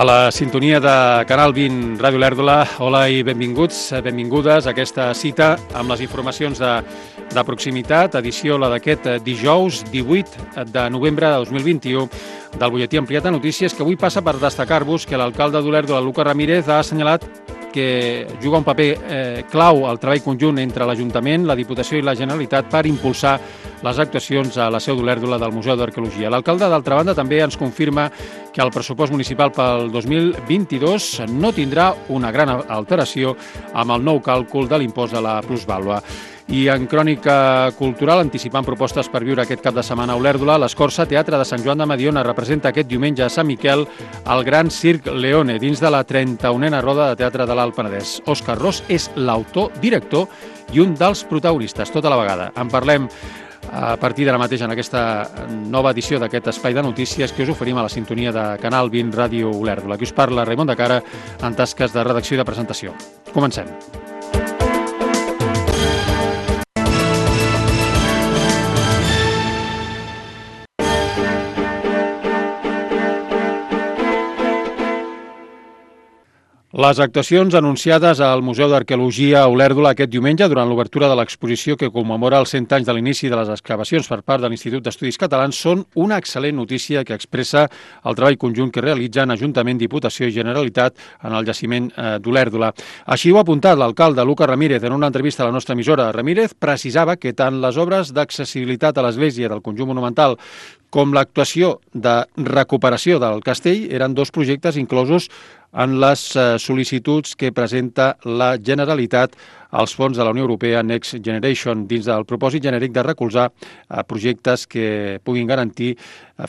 A la sintonia de Canal 20 Ràdio Olèrdola, hola i benvinguts, benvingudes a aquesta cita amb les informacions de proximitat, edició la d'aquest dijous 18 de novembre de 2021 del butlletí ampliat de notícies, que avui passa per destacar-vos que l'alcalde d'Olèrdola, Lucas Ramírez, ha assenyalat que juga un paper clau al treball conjunt entre l'Ajuntament, la Diputació i la Generalitat per impulsar les actuacions a la seu d'Olèrdola del Museu d'Arqueologia. L'alcalde, d'altra banda, també ens confirma que el pressupost municipal pel 2022 no tindrà una gran alteració amb el nou càlcul de l'impost de la plusvàlua. I en crònica cultural, anticipant propostes per viure aquest cap de setmana a Olèrdola, l'Escorça Teatre de Sant Joan de Mediona representa aquest diumenge a Sant Miquel el Gran Circ Leone dins de la 31a Roda de Teatre de l'Alt Penedès. Òscar Ros és l'autor, director i un dels protagonistes tota la vegada. En parlem a partir d'ara mateix en aquesta nova edició d'aquest espai de notícies que us oferim a la sintonia de Canal 20 Ràdio Olèrdola. Aquí us parla Raimon de Cara en tasques de redacció i de presentació. Comencem. Les actuacions anunciades al Museu d'Arqueologia a Olèrdola aquest diumenge durant l'obertura de l'exposició que commemora els 100 anys de l'inici de les excavacions per part de l'Institut d'Estudis Catalans són una excel·lent notícia que expressa el treball conjunt que realitzen Ajuntament, Diputació i Generalitat en el jaciment d'Olèrdola. Així ho ha apuntat l'alcalde Lucas Ramírez en una entrevista a la nostra emissora. Ramírez precisava que tant les obres d'accessibilitat a l'església del conjunt monumental com l'actuació de recuperació del castell eren dos projectes inclosos en les sol·licituds que presenta la Generalitat als fons de la Unió Europea Next Generation dins del propòsit genèric de recolzar projectes que puguin garantir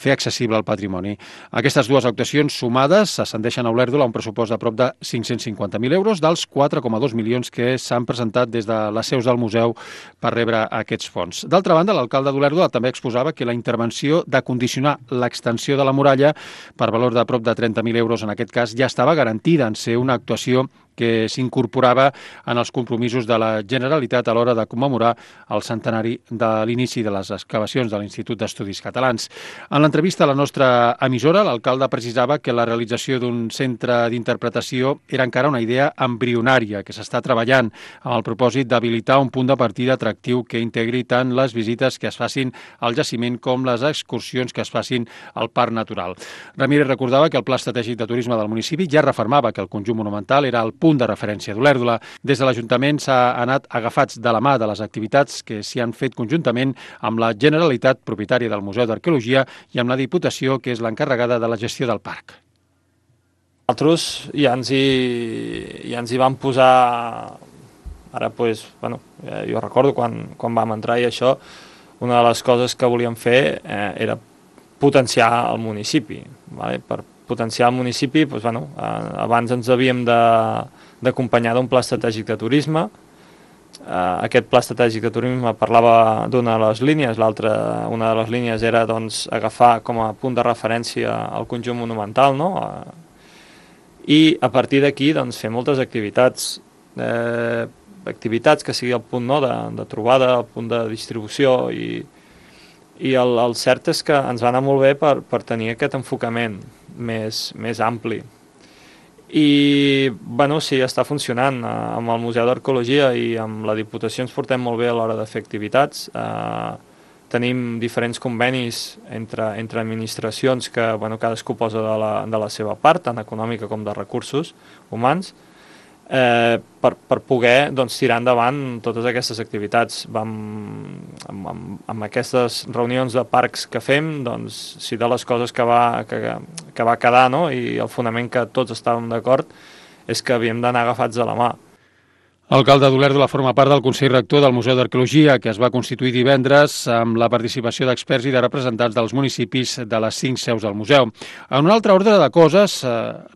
fer accessible el patrimoni. Aquestes dues actuacions sumades ascendeixen a Olèrdola a un pressupost de prop de 550.000 euros dels 4,2 milions que s'han presentat des de les seus del museu per rebre aquests fons. D'altra banda, l'alcalde d'Olèrdola també exposava que la intervenció de condicionar l'extensió de la muralla per valor de prop de 30.000 euros en aquest cas ja estava garantida en ser una actuació que s'incorporava en els compromisos de la Generalitat a l'hora de commemorar el centenari de l'inici de les excavacions de l'Institut d'Estudis Catalans. En l'entrevista a la nostra emissora, l'alcalde precisava que la realització d'un centre d'interpretació era encara una idea embrionària que s'està treballant amb el propòsit d'habilitar un punt de partida atractiu que integri tant les visites que es facin al jaciment com les excursions que es facin al Parc Natural. Ramírez recordava que el Pla Estratègic de Turisme del municipi ja refermava que el conjunt monumental era el punt de referència d'Olèrdola. Des de l'Ajuntament s'ha anat agafats de la mà de les activitats que s'hi han fet conjuntament amb la Generalitat, propietària del Museu d'Arqueologia, i amb la Diputació, que és l'encarregada de la gestió del parc. Nosaltres ja ens hi vam posar, ara jo recordo quan vam entrar i això, una de les coses que volíem fer era potenciar el municipi. Per potenciar el municipi, abans ens havíem d'acompanyar d'un pla estratègic de turisme. Aquest pla estratègic de turisme parlava d'una de les línies, una de les línies era agafar com a punt de referència el conjunt monumental, i a partir d'aquí fer moltes activitats que sigui el punt de trobada, el punt de distribució, i el cert és que ens va anar molt bé per tenir aquest enfocament més ampli. I sí, està funcionant. Amb el Museu d'Arqueologia i amb la Diputació ens portem molt bé a l'hora de fer activitats. Tenim diferents convenis entre administracions que cadascú posa de la seva part, tant econòmica com de recursos humans, per poder tirar endavant totes aquestes activitats. Amb aquestes reunions de parcs que fem, si de les coses que va quedar, i el fonament que tots estàvem d'acord, és que havíem d'anar agafats de la mà. L'alcalde d'Olèrdola forma part del Consell Rector del Museu d'Arqueologia, que es va constituir divendres amb la participació d'experts i de representants dels municipis de les 5 seus del museu. En un altre ordre de coses,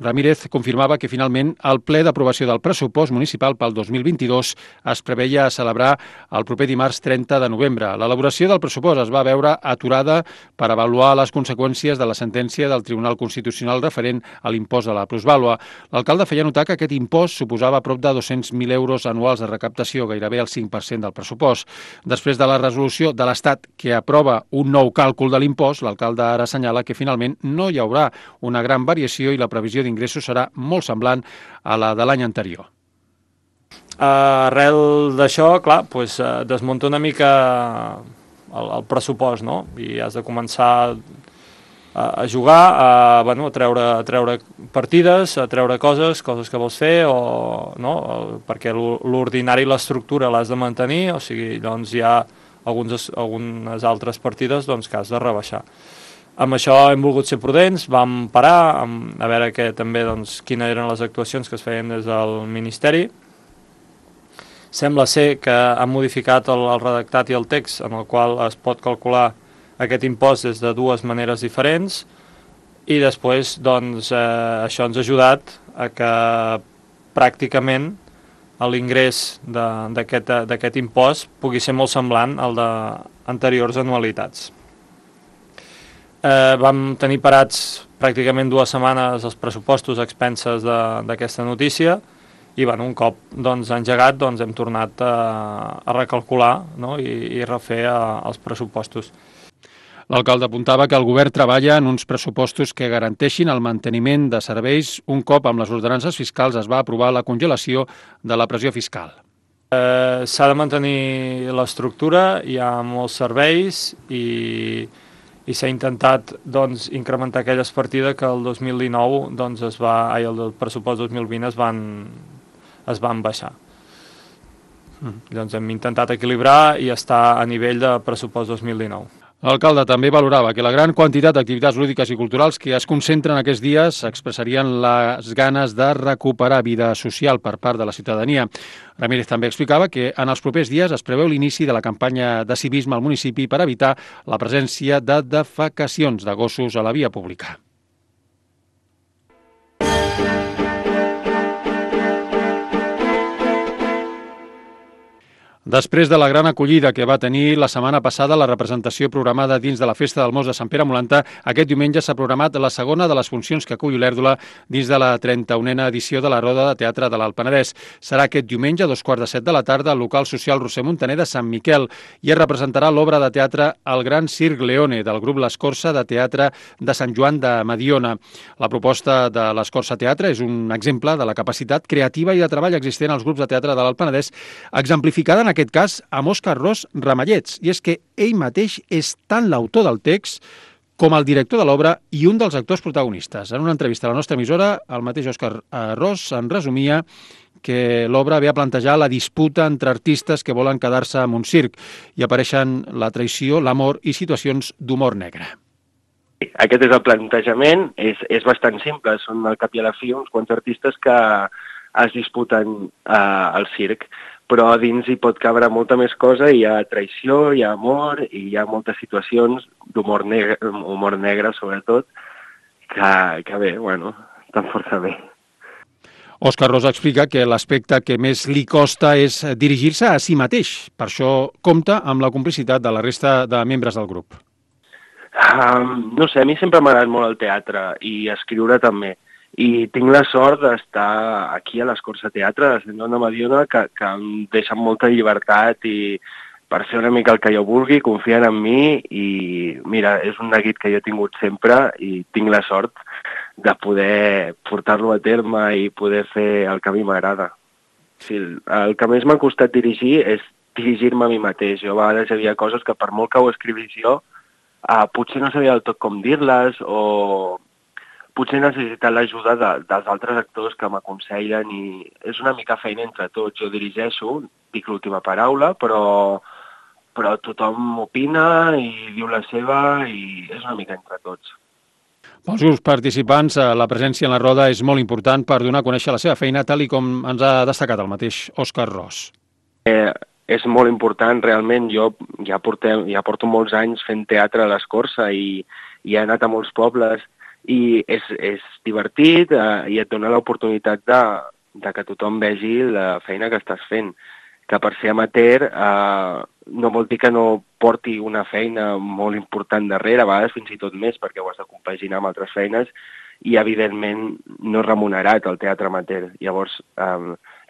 Ramírez confirmava que finalment el ple d'aprovació del pressupost municipal pel 2022 es preveia celebrar el proper dimarts 30 de novembre. L'elaboració del pressupost es va veure aturada per avaluar les conseqüències de la sentència del Tribunal Constitucional referent a l'impost de la plusvàlua. L'alcalde feia notar que aquest impost suposava prop de 200.000 euros valors anuals de recaptació, gairebé el 5% del pressupost. Després de la resolució de l'Estat que aprova un nou càlcul de l'impost, l'alcalde ara assenyala que finalment no hi haurà una gran variació i la previsió d'ingressos serà molt semblant a la de l'any anterior. Arrel d'això, clar, desmunta una mica el pressupost, no? I has de començar a jugar, a treure partides, a treure coses que vols fer, perquè l'ordinari i l'estructura l'has de mantenir, o sigui, llavors hi ha algunes altres partides que has de rebaixar. Amb això hem volgut ser prudents, vam parar a veure també quines eren les actuacions que es feien des del Ministeri. Sembla ser que han modificat el redactat i el text en el qual es pot calcular aquest impost des de dues maneres diferents i després això ens ha ajudat a que pràcticament l'ingrés d'aquest impost pugui ser molt semblant al d'anteriors anualitats. Vam tenir parats pràcticament 2 setmanes els pressupostos a expenses d'aquesta notícia i un cop engegat hem tornat a recalcular i refer els pressupostos. L'alcalde apuntava que el govern treballa en uns pressupostos que garanteixin el manteniment de serveis un cop amb les ordenances fiscals es va aprovar la congelació de la pressió fiscal. S'ha de mantenir l'estructura, hi ha molts serveis i s'ha intentat incrementar aquelles partides que el 2019 el pressupost 2020 es van baixar. Hem intentat equilibrar i estar a nivell de pressupost 2019. L'alcalde també valorava que la gran quantitat d'activitats lúdiques i culturals que es concentren aquests dies expressarien les ganes de recuperar vida social per part de la ciutadania. Ramírez també explicava que en els propers dies es preveu l'inici de la campanya de civisme al municipi per evitar la presència de defecacions de gossos a la via pública. Després de la gran acollida que va tenir la setmana passada la representació programada dins de la Festa del Mos de Sant Pere Molanta, aquest diumenge s'ha programat la segona de les funcions que acull Olèrdola dins de la 31a edició de la Roda de Teatre de l'Alt Penedès. Serà aquest diumenge a 2:15 de la tarda al local social Roser Montaner de Sant Miquel i es representarà l'obra de teatre El Gran Circ Leone del grup L'Escorça de Teatre de Sant Joan de Mediona. La proposta de l'Escorça Teatre és un exemple de la capacitat creativa i de treball existent als grups de teatre de l'Alt Penedès, exemplificada en aquest cas amb Òscar Ros Ramallets, i és que ell mateix és tant l'autor del text com el director de l'obra i un dels actors protagonistes. En una entrevista a la nostra emissora, el mateix Òscar Ros en resumia que l'obra ve a plantejar la disputa entre artistes que volen quedar-se en un circ i apareixen la traïció, l'amor i situacions d'humor negre. Aquest és el plantejament, és bastant simple, són al cap i a la fi uns quants artistes que es disputen al circ, però a dins hi pot cabre molta més cosa, hi ha traïció, hi ha amor i hi ha moltes situacions d'humor negre sobretot, que bé, estan força bé. Òscar Ros explica que l'aspecte que més li costa és dirigir-se a si mateix, per això compta amb la complicitat de la resta de membres del grup. No sé, a mi sempre m'ha agradat molt el teatre i escriure també. I tinc la sort d'estar aquí a l'Escorça Teatre, de Sant Joan de Mediona, que em deixen molta llibertat i per fer una mica el que jo vulgui, confien en mi i mira, és un neguit que jo he tingut sempre i tinc la sort de poder portar-lo a terme i poder fer el que a mi m'agrada. Sí, el que més m'ha costat dirigir és dirigir-me a mi mateix. Jo a vegades hi havia coses que per molt que ho escrivís jo, potser no sabia del tot com dir-les o potser necessitat l'ajuda dels altres actors que m'aconsellen i és una mica feina entre tots. Jo dirigeixo, dic l'última paraula, però tothom opina i diu la seva i és una mica entre tots. Pels grups participants, la presència en la roda és molt important per donar a conèixer la seva feina, tal i com ens ha destacat el mateix Òscar Ros. És molt important, realment. Jo ja porto molts anys fent teatre a l'Escorça i he anat a molts pobles i és divertit i et dona l'oportunitat de que tothom vegi la feina que estàs fent. Que per ser amateur no vol dir que no porti una feina molt important darrere, a vegades fins i tot més, perquè ho has de compaginar amb altres feines, i evidentment no remunerat el teatre amateur. Llavors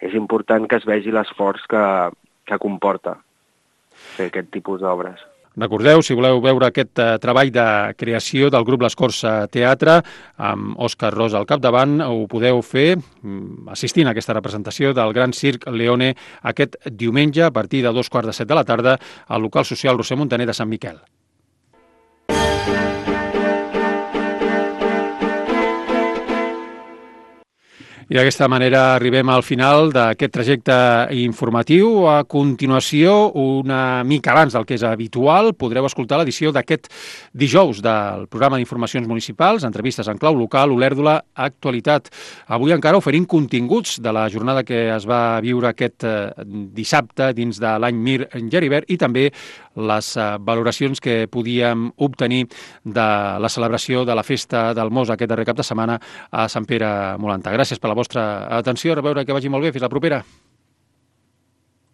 és important que es vegi l'esforç que comporta fer aquest tipus d'obres. Recordeu, si voleu veure aquest treball de creació del grup l'Escorça Teatre, amb Òscar Ros al capdavant, ho podeu fer assistint a aquesta representació del Gran Circ Leone aquest diumenge a partir de 2:15 de la tarda al local social Roser Montaner de Sant Miquel. I d'aquesta manera arribem al final d'aquest trajecte informatiu. A continuació, una mica abans del que és habitual, podreu escoltar l'edició d'aquest dijous del programa d'informacions municipals, entrevistes en clau local, Olèrdola, Actualitat. Avui encara oferint continguts de la jornada que es va viure aquest dissabte dins de l'any Mir en Geribert i també les valoracions que podíem obtenir de la celebració de la festa del Mos aquest darrer cap de setmana a Sant Pere Molanta. Gràcies per la vostra atenció, a veure que vagi molt bé, fins la propera.